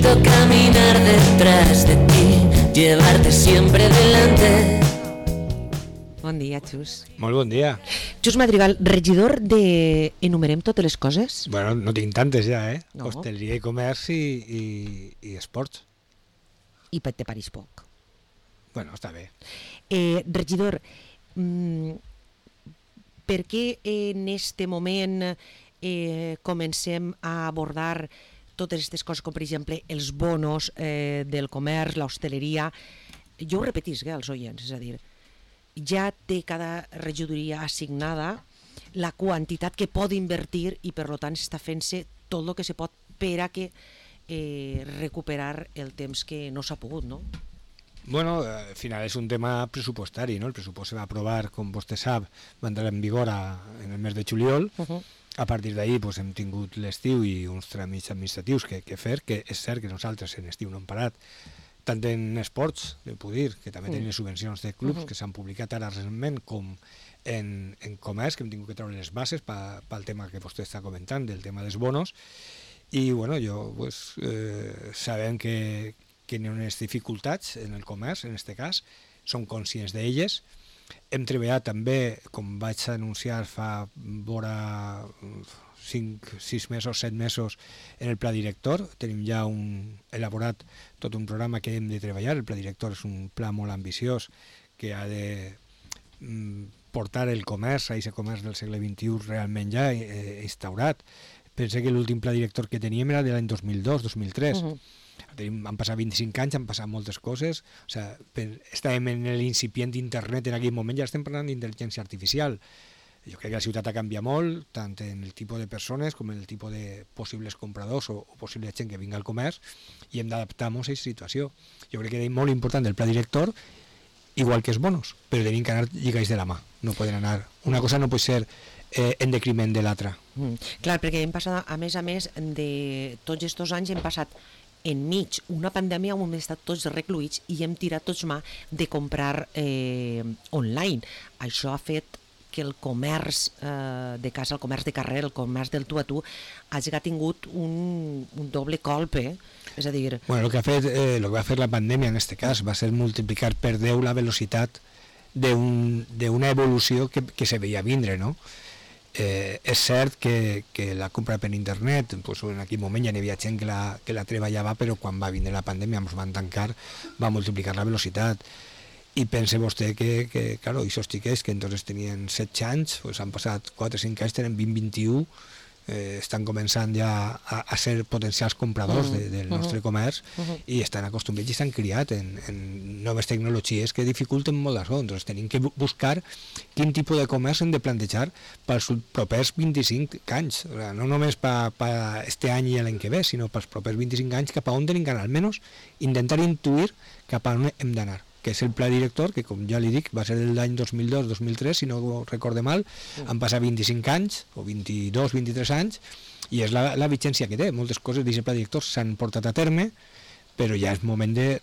Necesito caminar detrás de ti, llevarte siempre delante. Bon dia, Xus. Molt bon dia. Xus Madrigal, regidor de... Enumerem totes les coses? Bueno, no tinc tantes ja, eh? No. Hosteleria i comerç i esports. I te pareix poc. Bueno, està bé. Regidor, per què en este moment comencem a abordar totes aquestes coses, com per exemple els bonos del comerç, l'hostaleria? Jo ho repetisc als oients, és a dir, ja té cada regidoria assignada la quantitat que pot invertir i per tant està fent-se tot el que se pot per a que recuperar el temps que no s'ha pogut, no? Bueno, al final és un tema pressupostari, no? El pressupost se va aprovar, com vostè sap, va entrar en vigor en el mes de juliol. A partir d'ahir pues, hem tingut l'estiu i uns tràmits administratius que fer, que és cert que nosaltres en estiu no hem parat, tant en esports, de Pudir, que també tenen les subvencions de clubs que s'han publicat ara recentment, com en comerç, que hem tingut que treure les bases pel tema que vostè està comentant, del tema dels bonos. I bueno, pues, sabem que hi ha unes dificultats en el comerç, en aquest cas, som conscients d'elles. Hem treballat també, com vaig anunciar fa vora 5, 6 mesos, 7 mesos, en el pla director. Tenim ja elaborat tot un programa que hem de treballar. El pla director és un pla molt ambiciós que ha de portar el comerç, a aquest comerç del segle XXI realment ja instaurat. Pensé que l'últim pla director que teníem era de l'any 2002-2003. Han passat 25 anys, han passat moltes coses. O sigui, estàvem en l'incipient d'internet en aquell moment, ja estem parlant d'intel·ligència artificial. Jo crec que la ciutat ha canviat molt, tant en el tipus de persones com en el tipus de possibles compradors o possible gent que vinga al comerç, i hem d'adaptar-nos a aquesta situació. Jo crec que és molt important el pla director, igual que els bonos, però tenim que anar lligats de la mà. No poden anar. Una cosa no pot ser en decriment de l'altra. Clar, perquè hem passat, a més, de tots aquests anys hem passat enmig una pandèmia on hem estat tots recluïts i hem tirat tots mà de comprar online. Això ha fet que el comerç de casa, el comerç de carrer, el comerç del tu a tu, hagi tingut un doble colpe. És a dir... Bueno, el que va fer la pandèmia en aquest cas va ser multiplicar per 10 la velocitat d'una evolució que se veia vindre, no? És cert que la compra per internet, pues, en aquell moment ja n'hi havia gent que la treballava, però quan va vindre la pandèmia, ens van tancar, va multiplicar la velocitat. I pense vostè que claro, i sostiqués que entonces tenien 16 anys, pues han passat 4 o 5 anys, tenen 20-21, estan començant ja a ser potencials compradors del nostre comerç i estan acostumats i estan criats en noves tecnologies que dificulten molt les coses. Entonces tenim que buscar quin tipus de comerç hem de plantejar pels propers 25 anys, no només per este any i l'any que ve, sinó pels propers 25 anys, cap a on tenim que anar, almenys intentar intuir cap a on hem d'anar, que és el pla director, que com ja li dic, va ser de l'any 2002-2003, si no ho recorde mal, han passat 25 anys, o 22, 23 anys, i és la vigència que té. Moltes coses d'aquest pla director s'han portat a terme, però ja és moment de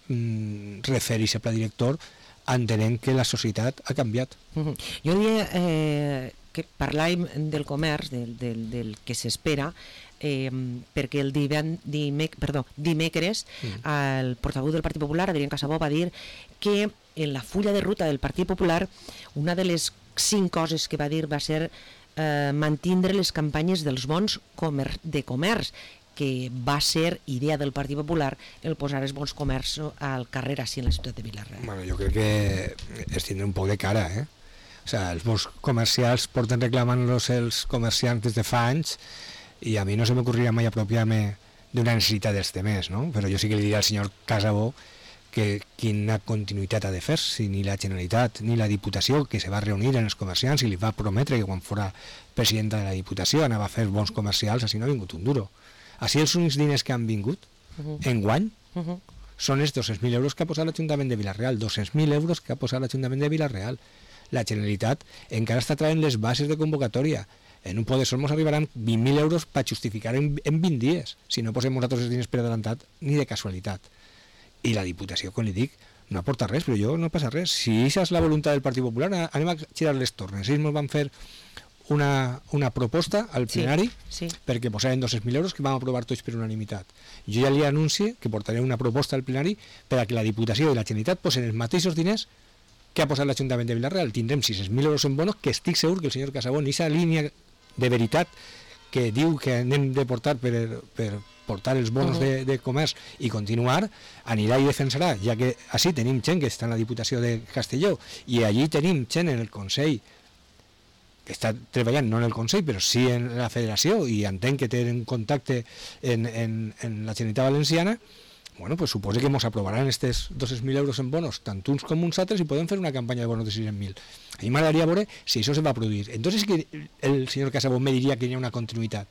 refer aquest pla director entenent que la societat ha canviat. Jo diria que parlàvem del comerç, del que s'espera, perquè el dimecres el portaveu del Partit Popular, Adrián Casabó, va dir que en la fulla de ruta del Partit Popular una de les 5 coses que va dir va ser mantindre les campanyes dels bons de comerç, que va ser idea del Partit Popular el posar els bons comerç al carrer així en la ciutat de Vila-real. Bueno, jo crec que és tindre un poc de cara, O sigui, els bons comercials porten reclamant-los els comerciants des de fa anys, i a mi no se m'ocorriria mai apropiar-me d'una necessitat dels temers, no? Però jo sí que li diré al senyor Casabó que quina continuïtat ha de fer, si ni la Generalitat ni la Diputació, que se va reunir en els comerciants i li va prometre que quan fora presidenta de la Diputació anava a fer bons comercials, així no ha vingut un duro. Així els únics diners que han vingut enguany són els 200.000 euros que ha posat l'Ajuntament de Vila-real, 200.000 euros que ha posat l'Ajuntament de Vila-real. La Generalitat encara està traient les bases de convocatòria. En un poder sol ens arribaran 20.000 euros per justificar en 20 dies, si no posem nosaltres els diners per adelantat ni de casualitat. I la Diputació, com li dic, no aporta res, però jo no passa res. Si això és la voluntat del Partit Popular, anem a girar les tornes. Ells ens van fer una proposta al plenari perquè posaven 200.000 euros que vam aprovar tots per unanimitat. Jo ja li anuncio que portaré una proposta al plenari per a que la Diputació i la Generalitat posen els mateixos diners que ha posat l'Ajuntament de Vila-real. Tindrem 600.000 euros en bonos, que estic segur que el senyor Casabó, en aquesta línia de veritat que diu que anem de portar per portar els bonos de comerç i continuar, anirà i defensarà, ja que així tenim gent que està en la Diputació de Castelló i allí tenim gent en el Consell que està treballant, no en el Consell, però sí en la Federació, i entenc que tenen contacte en la Generalitat Valenciana. Bueno, pues suposo que ens aprovaran aquests 200.000 euros en bonos, tant uns com uns altres, i podem fer una campanya de bonos de 600.000. A mi m'agradaria veure si això se va produir. Entonces sí que el senyor Casabó me diria que hi ha una continuïtat.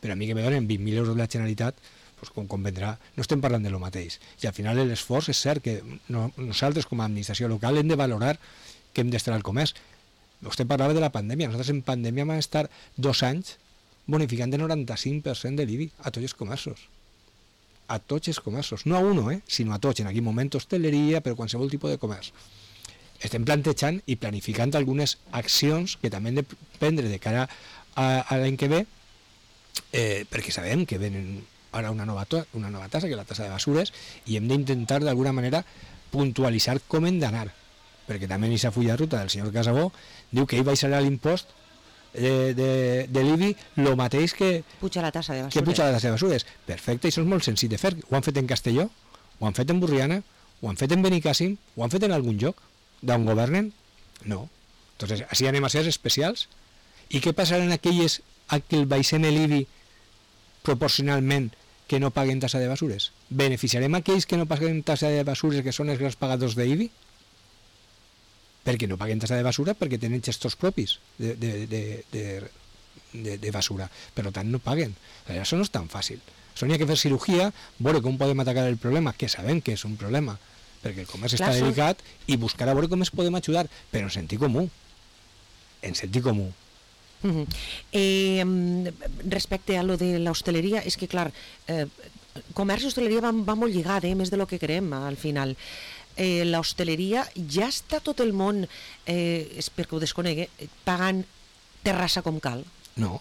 Però a mi que me donen 20.000 euros de la Generalitat, pues, com convendrà, no estem parlant de lo mateix. I al final l'esforç és cert que nosaltres com a administració local hem de valorar que hem d'estar al comerç. Vostè parlava de la pandèmia. Nosaltres en pandèmia vam estar 2 anys bonificant de 95% de l'IBI a tots els comerços. A tots els comerços, no a uno, sinó a tots, en aquell moment hostaleria, per qualsevol tipus de comerç. Estem plantejant i planificant algunes accions que també hem de prendre de cara a l'any que ve, perquè sabem que venen ara una nova tassa, que és la tassa de basures, i hem d'intentar d'alguna manera puntualitzar com hem d'anar, perquè també en aquesta fulla de ruta del senyor Casabó diu que ell baixarà l'impost de l'IBI el mateix que puja la tassa de basures. Que puja la tassa de basures. Perfecte, això és molt senzill de fer. Ho han fet en Castelló, ho han fet en Burriana, ho han fet en Benicàssim, ho han fet en algun lloc d'on governen? No. Entonces, així anem a ser especials. I què passarà en aquelles a que el baixem l'IBI proporcionalment que no paguen tassa de basures? Beneficiarem aquells que no paguen tassa de basures, que són els grans pagadors d'IBI? Perquè no paguen tassa de basura, perquè tenen gestors propis de basura. Per tant, no paguen. Això no és tan fàcil. Això n'hi ha que fer cirurgia, veure com podem atacar el problema, que sabem que és un problema, perquè el comerç està delicat, i buscar a veure com es podem ajudar, però en sentit comú. En sentit comú. Respecte a lo de l'hostaleria, és que, clar, comerç i hostaleria va molt lligat, més de lo que creem, al final. L'hostaleria ja està tot el món, és perquè ho desconegui, pagant terrassa com cal? No.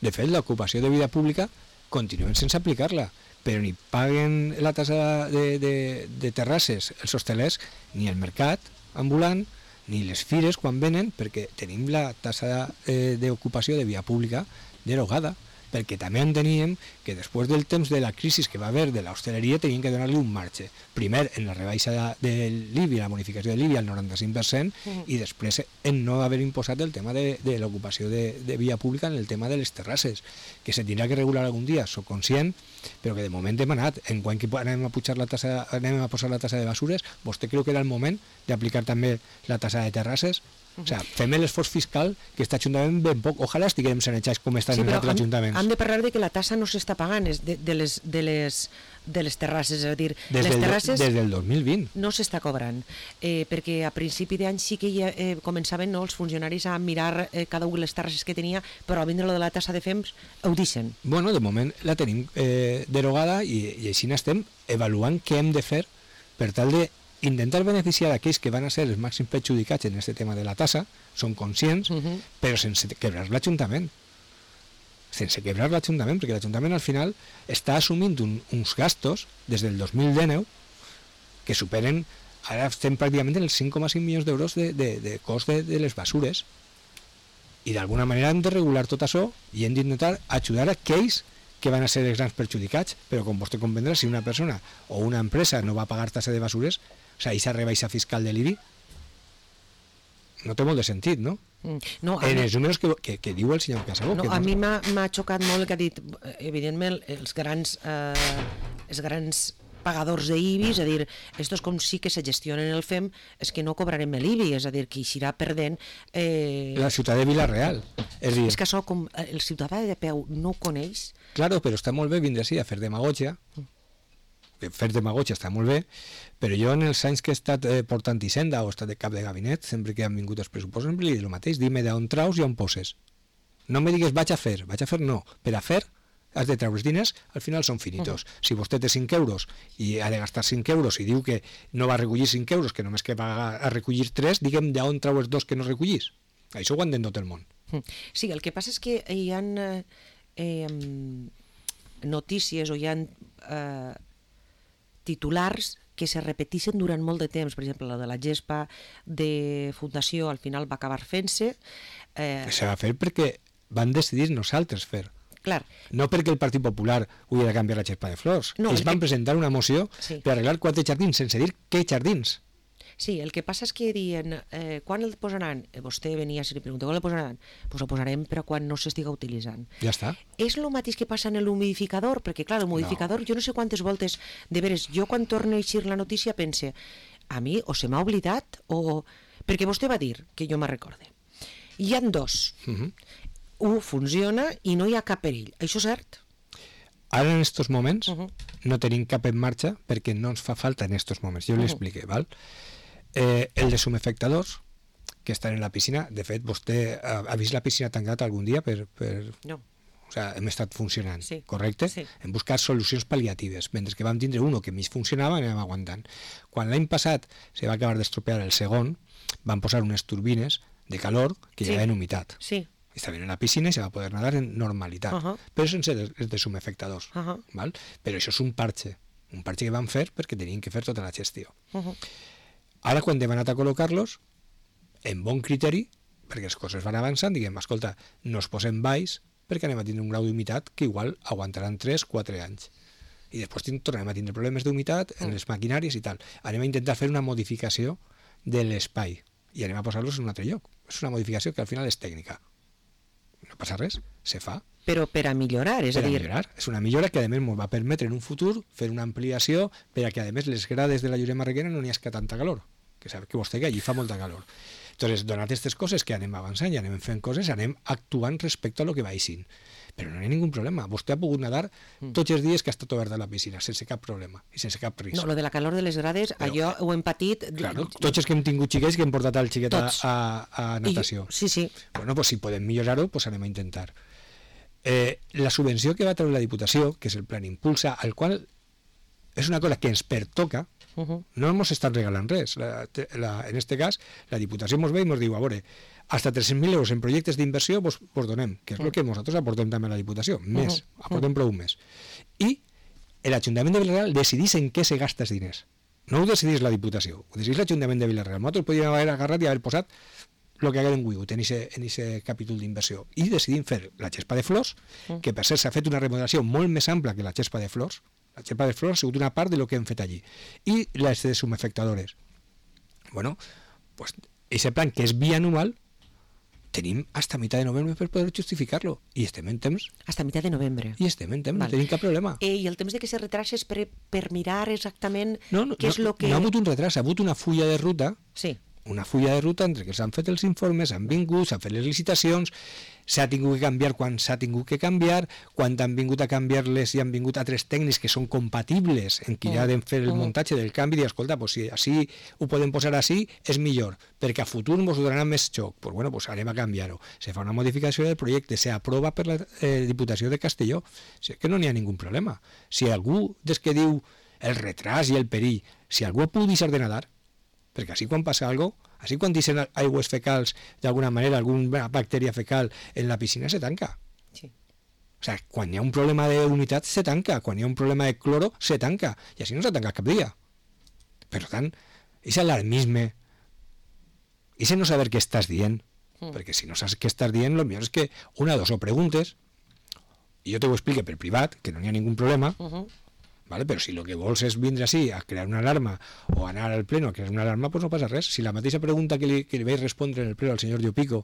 De fet, l'ocupació de vida pública continuem sense aplicar-la, però ni paguen la tassa de terrasses els hostelers, ni el mercat ambulant, ni les fires quan venen, perquè tenim la tassa d'ocupació de via pública derogada, perquè també enteníem que després del temps de la crisi que va haver de l'hostaleria teníem que donar-li un marge. Primer en la rebaixa de l'IBI, la bonificació de l'IBI al 95%, i després en no haver imposat el tema de l'ocupació de via pública en el tema de les terrasses, que se tindrà que regular algun dia, soc conscient, però que de moment hem anat. En quan que anem a posar la tassa de basures, vostè creu que era el moment d'aplicar també la tassa de terrasses? O sigui, fem l'esforç fiscal que està Ajuntament ben poc. Ojalà estiguem sanejats com estan els altres ajuntaments. Hem de parlar de que la tassa no s'està pagant de les terrasses, és a dir, les terrasses des del 2020 no s'està cobrant, perquè a principi d'any sí que ja començaven els funcionaris a mirar cada una de les terrasses que tenia, però a vindre lo de la tassa de FEMS ho deixen. Bueno, de moment la tenim derogada i així estem avaluant què hem de fer per tal de intentar beneficiar aquells que van a ser els màxims perjudicats en aquest tema de la tassa, són conscients, però sense quebrar l'Ajuntament. Sense quebrar l'Ajuntament, perquè l'Ajuntament al final està assumint uns gastos des del 2019 que superen, ara estem pràcticament en els 5,5 milions d'euros de cost de les basures, i d'alguna manera hem de regular tot això i hem d'intentar ajudar aquells que van a ser els grans perjudicats, però com vostè comprendrà, si una persona o una empresa no va pagar tassa de basures, o sigui, aquesta rebaixa fiscal de l'IBI no té molt de sentit, no? No, en els números que diu el senyor Casabó. No, a mi m'ha xocat molt el que ha dit, evidentment, els grans pagadors d'IBI, és a dir, estos com sí que se gestionen el FEM, és que no cobrarem l'IBI, és a dir, que eixirà perdent... La ciutat de Vila-real. És que això, com el ciutadà de peu no ho coneix... Claro, però està molt bé vindre així a fer demagògia, fer demagògia està molt bé, però jo en els anys que he estat portant Hisenda o he estat de cap de gabinet, sempre que han vingut els pressupostos, sempre li dic el mateix, dime d'on traus i on poses. No me digues vaig a fer no. Per a fer has de treure els diners, al final són finitos. Si vostè té 5 euros i ha de gastar 5 euros i diu que no va recollir 5 euros, que només que va a recollir 3, diguem d'on trau els 2 que no recollís. Això ho entén tot el món. Sí, el que passa és que hi ha notícies o hi ha titulars que se repeteixen durant molt de temps. Per exemple, la de la gespa de Fundació al final va acabar fent-se. Se va fer perquè van decidir nosaltres fer. Clar. No perquè el Partit Popular ho havia de canviar la gespa de flors. No, Ells van presentar una moció per arreglar 4 jardins, sense dir què jardins. Sí, el que passa és que diuen, quan el posaran? Vostè venia i li pregunta, quan el posaran? Doncs el posarem però quan no s'estiga utilitzant. Ja està. És el mateix que passa en l'humidificador, perquè clar, el humidificador, jo no sé quantes voltes, de veres, jo quan torno a eixir la notícia pense, a mi o se m'ha oblidat o... Perquè vostè va dir, que jo me'n recorde, hi ha 2. Un funciona i no hi ha cap perill. Això és cert? Ara en estos moments no tenim cap en marxa perquè no ens fa falta en estos moments. Jo l'expliqué, val? El de sumefectadors que estan en la piscina, de fet vostè ha vist la piscina tancada algun dia No. O sea, hem estat funcionant, sí. correcte? Sí. Hem buscat solucions pal·liatives, mentre que vam tindre uno que mig funcionava, anem aguantant. Quan l'any passat se va acabar d'estropear el segon, van posar unes turbines de calor que llevaven humitat. Sí. Estaven en la piscina i se va poder nadar en normalitat, però sense els de sumefectadors. Val? Però això és un parche que van fer perquè tenien que fer tota la gestió. Ara, quan hem anat a col·locar-los, en bon criteri, perquè les coses van avançant, diguem, escolta, no es posem baix perquè anem a tindre un grau d'humitat que igual aguantaran 3-4 anys. I després tornem a tindre problemes d'humitat en les maquinàries i tal. Anem a intentar fer una modificació de l'espai i anem a posar-los en un altre lloc. És una modificació que al final és tècnica. No passa res, se fa. Però per a millorar, és a dir... Millorar. És una millora que a més ens va permetre en un futur fer una ampliació per a que a més les grades de la Lloret Marreguera no n'hi hagi tanta calor, que sap que vostè que allí fa molta calor. Entonces, donat aquestes coses que anem avançant i anem fent coses, anem actuant respecte a lo que vagin. Però no hi ha ningú problema. Vostè ha pogut nedar tots els dies que ha estat oberta la piscina, sense cap problema i sense cap risc. No, lo de la calor de les grades, però, allò ho hem patit... Claro, tots els que hem tingut xiquets que hem portat el xiquet a natació. Sí, sí. Bueno, pues si podem millorar-ho, pues anem a intentar. La subvenció que va treure la Diputació, que és el Plan Impulsa, al qual és una cosa que ens pertoca, no ens estan regalant res. En este cas, la Diputació ens ve i ens diu, a veure, hasta 300.000 euros en projectes d'inversió vos donem, que és el que nosaltres aportem també a la Diputació, més, aportem prou més. I l'Ajuntament de Vila-real decidís en què se gasta els diners. No ho decidís la Diputació, ho decidís l'Ajuntament de Vila-real. Nosaltres podríem haver agarrat i haver posat el que haguem volgut en aquest capítol d'inversió. I decidim fer la gespa de flors, que per cert s'ha fet una remodelació molt més ampla que la gespa de flors. La gespa de flors ha sigut una part de lo que hem fet allí. I les de sumefectadores. Bueno, pues ese plan que és bianual, tenim hasta mitad de novembre per poder justificar-lo. I estem en temps. Hasta mitad de novembre. I estem en temps, no tenim cap problema. I el temps de que se retrasa és per mirar exactament què és el que... No ha hagut un retras, ha hagut una fulla de ruta. Sí. Una fulla de ruta entre que s'han fet els informes, han vingut, s'han fet les licitacions, s'ha tingut que canviar quan s'ha tingut que canviar, quan han vingut a canviar-les i han vingut altres tècnics que són compatibles en què ja han de fer el muntatge del canvi i dir, escolta, pues si així ho podem posar així, és millor, perquè a futur ens donarà més xoc. Pues bueno, pues anem a canviar-ho. Se fa una modificació del projecte, s'aprova per la Diputació de Castelló. Si és que no n'hi ha ningú problema. Si algú des que diu el retras i el perill, si algú pugui deixar de nadar, perquè així quan passa alguna cosa, així quan deixen aigües fecals, d'alguna manera, alguna bactèria fecal en la piscina, se tanca. Sí. O sigui, quan hi ha un problema d'humitat, se tanca. Quan hi ha un problema de cloro, se tanca. I així no s'ha tancat cap dia. Per tant, és alarmisme, és no saber què estàs dient, perquè si no saps què estàs dient, el millor és que una o dos o preguntes, i jo te ho explique per privat, que no hi ha ningú problema, ¿vale? Però si el que vols és vindre així a crear una alarma o anar al pleno a crear una alarma, pues no passa res. Si la mateixa pregunta que li vaig respondre en el pleno al senyor Llopico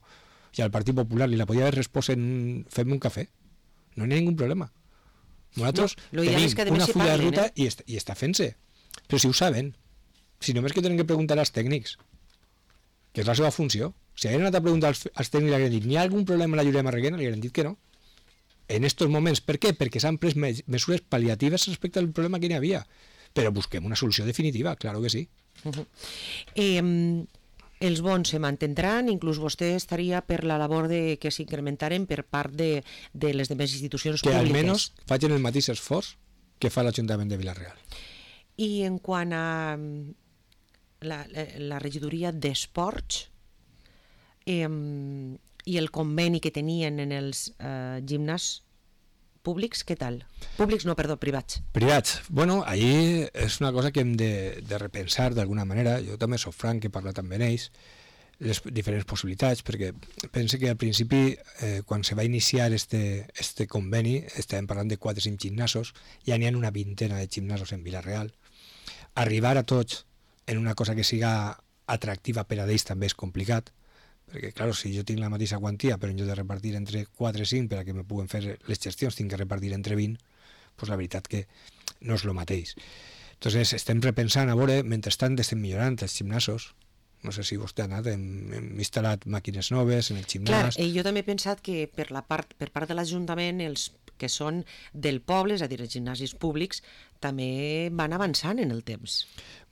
i al Partit Popular li la podia haver respost en fem un cafè, no hi ha ningú problema. Nosaltres tenim una fulla de ruta i està fent-se. Però si ho saben, si només que tenen que preguntar als tècnics, que és la seva funció. Si hagueren anat a preguntar als tècnics i li hagueren dit n'hi ha algun problema en la Lloret Marreguera, li hagueren dit que no. En estos moments. Per què? Perquè s'han pres mesures pal·liatives respecte al problema que n'hi havia. Però busquem una solució definitiva, claro que sí. Els bons se mantindran, inclús vostè estaria per la labor de que s'incrementaren per part de les demés institucions públiques. Que almenys facin el mateix esforç que fa l'Ajuntament de Vila-real. I en quant a la regidoria d'esports, I el conveni que tenien en els gimnàs públics, què tal? Públics no, perdó, privats. Privats. Bueno, ahí és una cosa que hem de repensar d'alguna manera. Jo també soc franc, he parlat amb ells, les diferents possibilitats, perquè pense que al principi, quan se va iniciar este conveni, estàvem parlant de 4 o 5 gimnasos, ja n'hi ha una vintena de gimnasos en Vila-real. Arribar a tots en una cosa que siga atractiva per a ells també és complicat, perquè, clar, si jo tinc la mateixa quantia, però en lloc de repartir entre 4 i 5 per a que me puguen fer les gestions, tinc que repartir entre 20, doncs la veritat que no és el mateix. Entonces, estem repensant, a veure, mentrestant estem millorant els gimnasos. No sé si vostè ha anat, hem instal·lat màquines noves en el gimnàs. Clar, jo també he pensat que per part de l'Ajuntament, els que són del poble, és a dir, els gimnasis públics, també van avançant en el temps.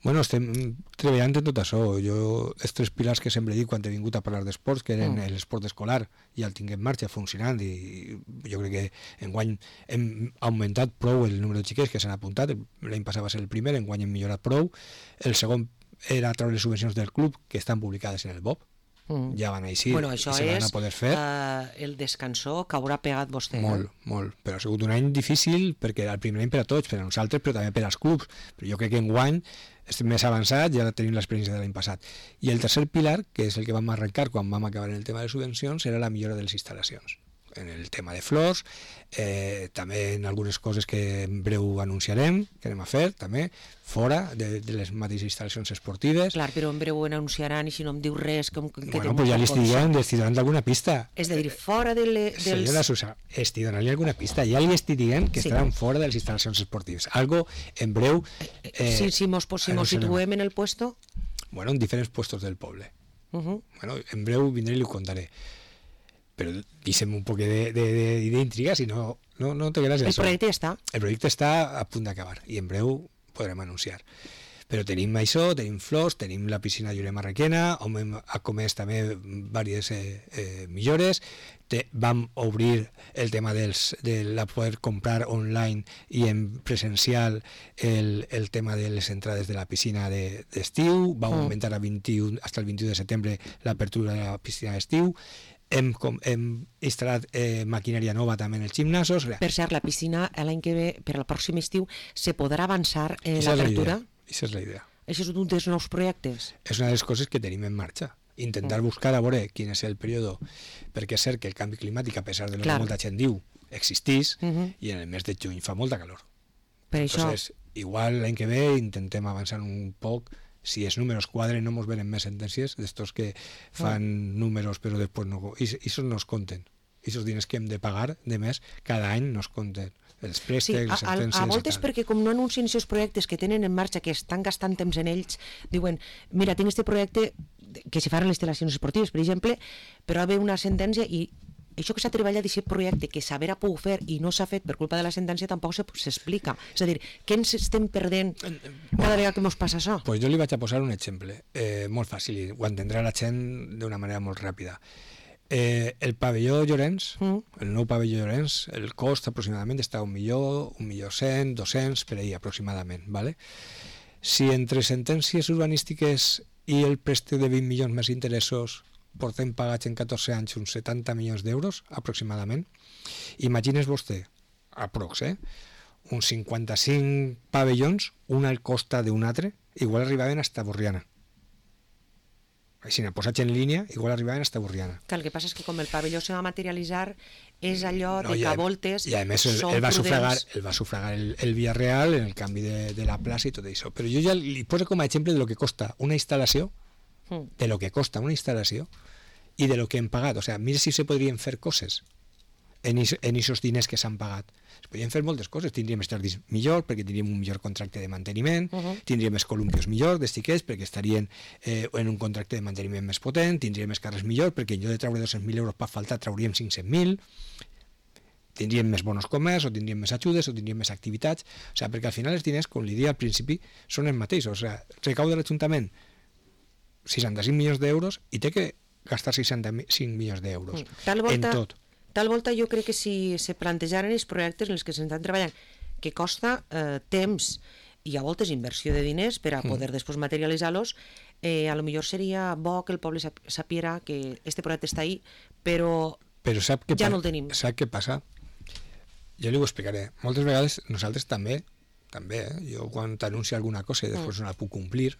Bueno, estem treballant en tot això. Jo, els 3 pilars que sempre dic quan he vingut a parlar d'esports, que eren l'esport escolar, ja el tinc en marxa, funcionant, i jo crec que enguany hem augmentat prou el número de xiquets que s'han apuntat. L'any passat va ser el primer, enguany hem millorat prou. El segon era treure les subvencions del club, que estan publicades en el BOP. Ja van així, bueno, això i se van a poder fer. El descansó que haurà pegat vostè. Molt, molt. Però ha sigut un any difícil, perquè era el primer any per a tots, per a nosaltres, però també per als clubs. Però jo crec que enguany estem més avançats, ja tenim l'experiència de l'any passat. I el tercer pilar, que és el que vam arrencar quan vam acabar en el tema de subvencions, era la millora de les instal·lacions. En el tema de flors, també en algunes coses que en breu anunciarem, que anem a fer, també, fora de les mateixes instal·lacions esportives. Clar, però en breu en anunciaran i si no em diu res... Bueno, pues ja li estic donant alguna pista. És a dir, fora dels... Senyora Susa, estic donant-li alguna pista. Ja li estic dient que estaran fora de les instal·lacions esportives. Algo en breu... Si mos situem en el puesto... Bueno, en diferents puestos del poble. Bueno, en breu vindré i li ho contaré. Però deixem un poc d'intriga, si no té gràcia. El projecte ja està. El projecte està a punt d'acabar i en breu podrem anunciar. Però tenim això, tenim flors, tenim la piscina Lloret Marraquena, on hem comès també diverses millores. Vam obrir el tema de poder comprar online i en presencial el tema de les entrades de la piscina d'estiu. Vam augmentar fins al 21 de setembre l'apertura de la piscina d'estiu. Hem instal·lat maquinària nova també en els gimnasos. Per cert, la piscina l'any que ve, per al pròxim estiu, se podrà avançar l'apertura? Aquesta és la idea. Això és un dels nous projectes? És una de les coses que tenim en marxa. Intentar buscar a veure quin és el període, perquè és cert que el canvi climàtic, a pesar de lo que molta gent diu, existís, i en el mes de juny fa molta calor. Per això... Entonces, igual l'any que ve intentem avançar un poc. Si els números quadren no ens venen més sentències d'estos que fan números però després no... I això no es compten. I aquests diners que hem de pagar de més cada any no es compten. Els préstecs, les sentències... A voltes perquè com no anuncien aquests projectes que tenen en marxa, que estan gastant temps en ells, diuen, mira, tinc este projecte que se fan les instal·lacions esportives, per exemple, però va haver una sentència i això que s'ha treballat d'aquest projecte que s'haver pogut fer i no s'ha fet per culpa de la sentència tampoc s'explica. És a dir, què ens estem perdent cada vegada que ens passa això? Pues jo li vaig a posar un exemple molt fàcil i ho entendrà la gent d'una manera molt ràpida. El pavelló Llorenç, el nou pavelló Llorenç, el cost aproximadament està a 1.100.000, 200 per ahí aproximadament, ¿vale? Si entre sentències urbanístiques i el préstec de 20 milions més interessos portem pagats en 14 anys uns 70 milions d'euros, aproximadament. Imagines vostè, aprox, uns 55 pavellons, un al costa d'un altre, igual arribaven hasta Borriana. Si n'ha posat en línia, igual arribaven hasta Borriana. Que el que passa és que com el pavelló se va materialitzar, és allò de que a voltes i a més el va sufragar el Villarreal en el canvi de la plaça i tot això. Però jo ja li poso com a exemple de lo que costa una instal·lació, de lo que costa una instal·lació i de lo que hem pagat. O sea, mira si se podrien fer coses en aquests diners que s'han pagat. Es podrien fer moltes coses. Tindríem estadis millor perquè tindríem un millor contracte de manteniment, tindríem més columpios millor dels xiquets perquè estarien en un contracte de manteniment més potent, tindríem més carrers millor perquè en lloc de treure 200.000 euros per faltar trauríem 500.000, tindríem més bonos comerç, o tindríem més ajudes, o tindríem més activitats. O sea, perquè al final els diners, com li dia al principi, són els mateixos. O sea, recauda l'Ajuntament 65 milions d'euros i té que gastar 65 milions d'euros en tot. Tal volta jo crec que si se plantejaren els projectes en els que s'estan treballant, que costa temps i a voltes inversió de diners per a poder després materialitzar-los, a lo millor seria bo que el poble sapiera que este projecte està ahí, però sap què ja no el tenim. Sap què passa? Jo li ho explicaré. Moltes vegades nosaltres també, jo quan t'anuncio alguna cosa i després no la puc complir,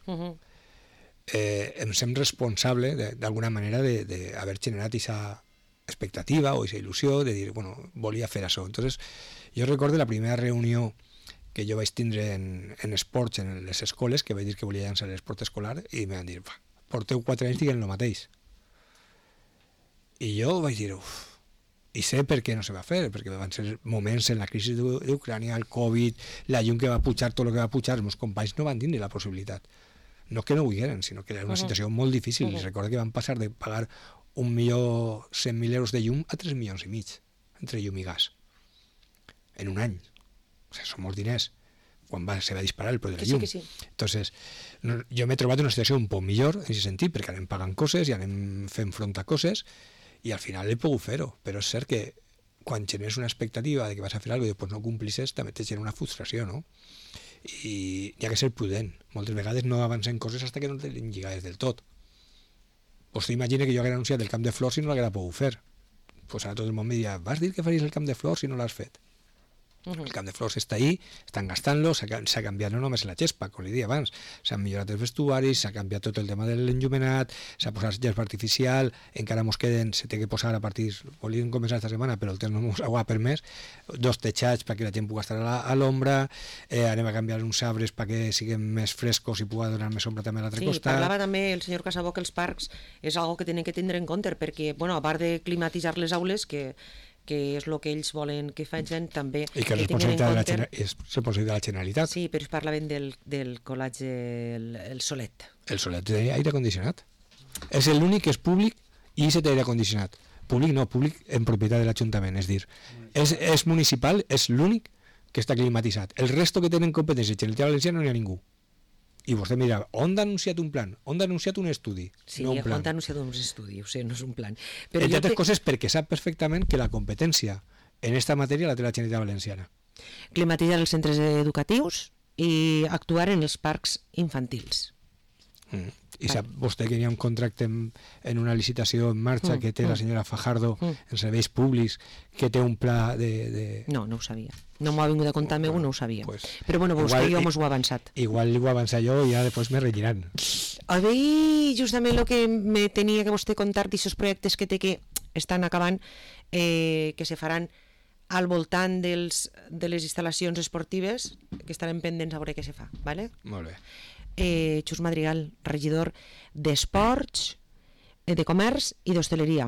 em sent responsable d'alguna manera d'haver generat aquesta expectativa o aquesta il·lusió de dir, bueno, volia fer això. Entonces, jo recordo la primera reunió que jo vaig tindre en esports en les escoles, que vaig dir que volia llançar l'esport escolar, i em van dir, porteu 4 anys dient el mateix. I jo vaig dir, i sé per què no se va fer, perquè van ser moments en la crisi d'Ucrània, el Covid, la llum que va pujar, tot el que va pujar, els meus companys no van tindre la possibilitat. No que no ho digueren, sinó que era una situació molt difícil. Recordo que van passar de pagar 1.100.000 euros de llum a 3,5 milions entre llum i gas en un any. O sigui, són molts diners quan se va disparar el preu de la llum. Sí. Entonces, jo m'he trobat en una situació un poc millor en aquest sentit, perquè anem pagant coses i anem fent front a coses i al final he pogut fer-ho, però és cert que quan generes una expectativa de que vas a fer alguna cosa i després no complisses, també te genera una frustració, no? I hi ha que ser prudent. Moltes vegades no avancem coses fins que no tenim lligades del tot. Pues t'imagina que jo haguera anunciat el camp de flors i no l'haguera pogut fer. Pues ara tot el món me diria, vas dir que faries el camp de flors i no l'has fet. El camp de flors està ahí, estan gastant-lo, s'ha canviat no només la gespa, com li deia abans, s'han millorat els vestuaris, s'ha canviat tot el tema de l'enllumenat, s'ha posat gespa artificial, encara mos queden, se té que posar a partir, volíem començar esta setmana, però el temps no mos ho ha permès, 2 techats perquè la gent pugui estar a l'ombra, anem a canviar uns arbres perquè siguin més frescos i pugui donar més ombra també a l'altre costat. Parlava també el senyor Casabó que els parcs és algo que tenen que tindre en compte, perquè, bueno, a part de climatitzar les aules, que és el que ells volen que facin, també i que és responsabilitat de la Generalitat. Sí, però es parlaven del col·legi el Solet. El Solet té aire condicionat. És l'únic que és públic i se té aire condicionat. Públic no, públic en propietat de l'Ajuntament, és dir, és municipal, és l'únic que està climatitzat. El resto que tenen competència Generalitat Valenciana no hi ha ningú. I vostè mira, on ha anunciat un plan? On ha anunciat un estudi? Sí, no un plan. on ha anunciat un estudi, ho sé, no és un plan. Però entre altres coses perquè sap perfectament que la competència en esta matèria la té la Generalitat Valenciana. Climatitzar els centres educatius i actuar en els parcs infantils. I sap vostè que hi ha un contracte en una licitació en marxa que té la senyora Fajardo en serveis públics, que té un pla de... No ho sabia. No m'ho ha vingut a contar meu, no ho sabia. Pues, però bueno, vostè i jo mos ho ha avançat. Igual ho avançat jo i ja després me relliran. A veure, justament el que me tenia que vostè contar d'aquests projectes que té que estan acabant, que se faran al voltant de les instal·lacions esportives, que estarem pendents a veure què se fa, ¿vale? Molt bé. Xus Madrigal, regidor d'Esports, de Comerç i d'Hostaleria.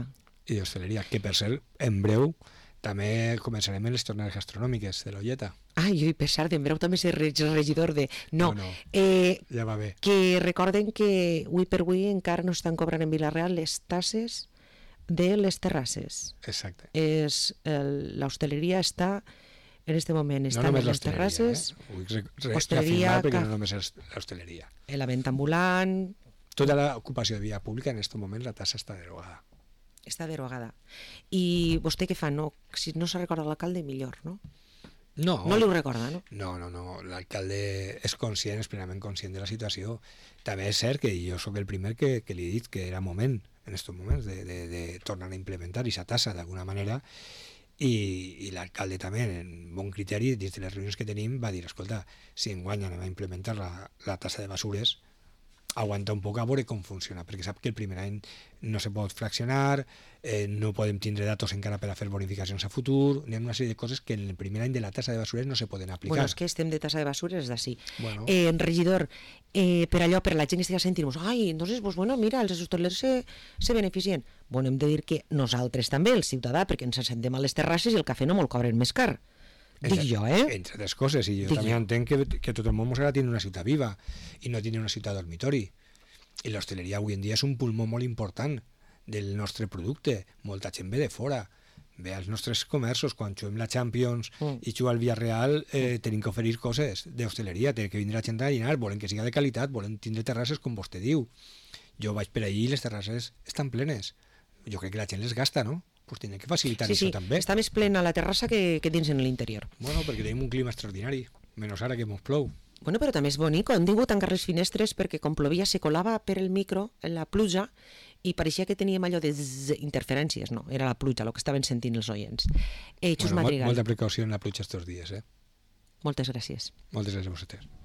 I d'Hostaleria, que per cert, en breu també començarem les tornades gastronòmiques de l'Olleta. Jo per cert, en breu també ser regidor de... No, ja va bé. Que recorden que avui per avui encara no estan cobrant en Vila-real les tasses de les terrasses. Exacte. L'hostaleria està... En este moment estan no en les terrasses, hostaleria, perquè no només és l'hostaleria. La venda ambulant... Tota l'ocupació de via pública, en aquest moment la tassa està derogada. Està derogada. I vostè què fa? No, si no se recorda l'alcalde, millor, no? No li ho recorda, no? No. L'alcalde és conscient, és plenament conscient de la situació. També és cert que jo sóc el primer que li he dit que era moment, en aquests moments, de tornar a implementar aquesta tassa d'alguna manera. I l'alcalde també, en bon criteri, dins de les reunions que tenim, va dir, escolta, si enguany anem a implementar la tassa de basures, aguanta un poc a veure com funciona, perquè sap que el primer any no se pot fraccionar, no podem tindre datos encara per a fer bonificacions a futur, hi ha una sèrie de coses que en el primer any de la tassa de basures no se poden aplicar. Bueno, és que estem de tassa de basures d'ací. Bueno. Regidor, per la gent que estigui sentint-nos, entonces, pues bueno, mira, els hostalers se beneficien. Bueno, hem de dir que nosaltres també, el ciutadà, perquè ens assentem a les terrasses i el cafè no me'l cobren més car. Dic jo, Entre altres coses, i jo també entenc que tot el món s'ha de tenir una ciutat viva i no tenir una ciutat dormitori. I l'hostaleria avui en dia és un pulmó molt important del nostre producte. Molta gent ve de fora, ve als nostres comerços. Quan juguem la Champions i juguem al Villarreal, tenim que oferir coses d'hostaleria, té que vindre la gent a dinar, volen que siga de qualitat, volen tindre terrasses com vostè diu. Jo vaig per allí i les terrasses estan plenes. Jo crec que la gent les gasta, no? Pues tenen que facilitar això també. Està més plena la terrassa que dins en l'interior. Bueno, perquè tenim un clima extraordinari, menys ara que mos plou. Bueno, però també és bonic, han tingut tancar les finestres perquè com plovia se colava per el micro la pluja i pareixia que teníem allò de interferències, no, era la pluja el que estaven sentint els oients. Xus Madrigal. Molta precaució en la pluja estos dies, Moltes gràcies. Moltes gràcies a vosaltres.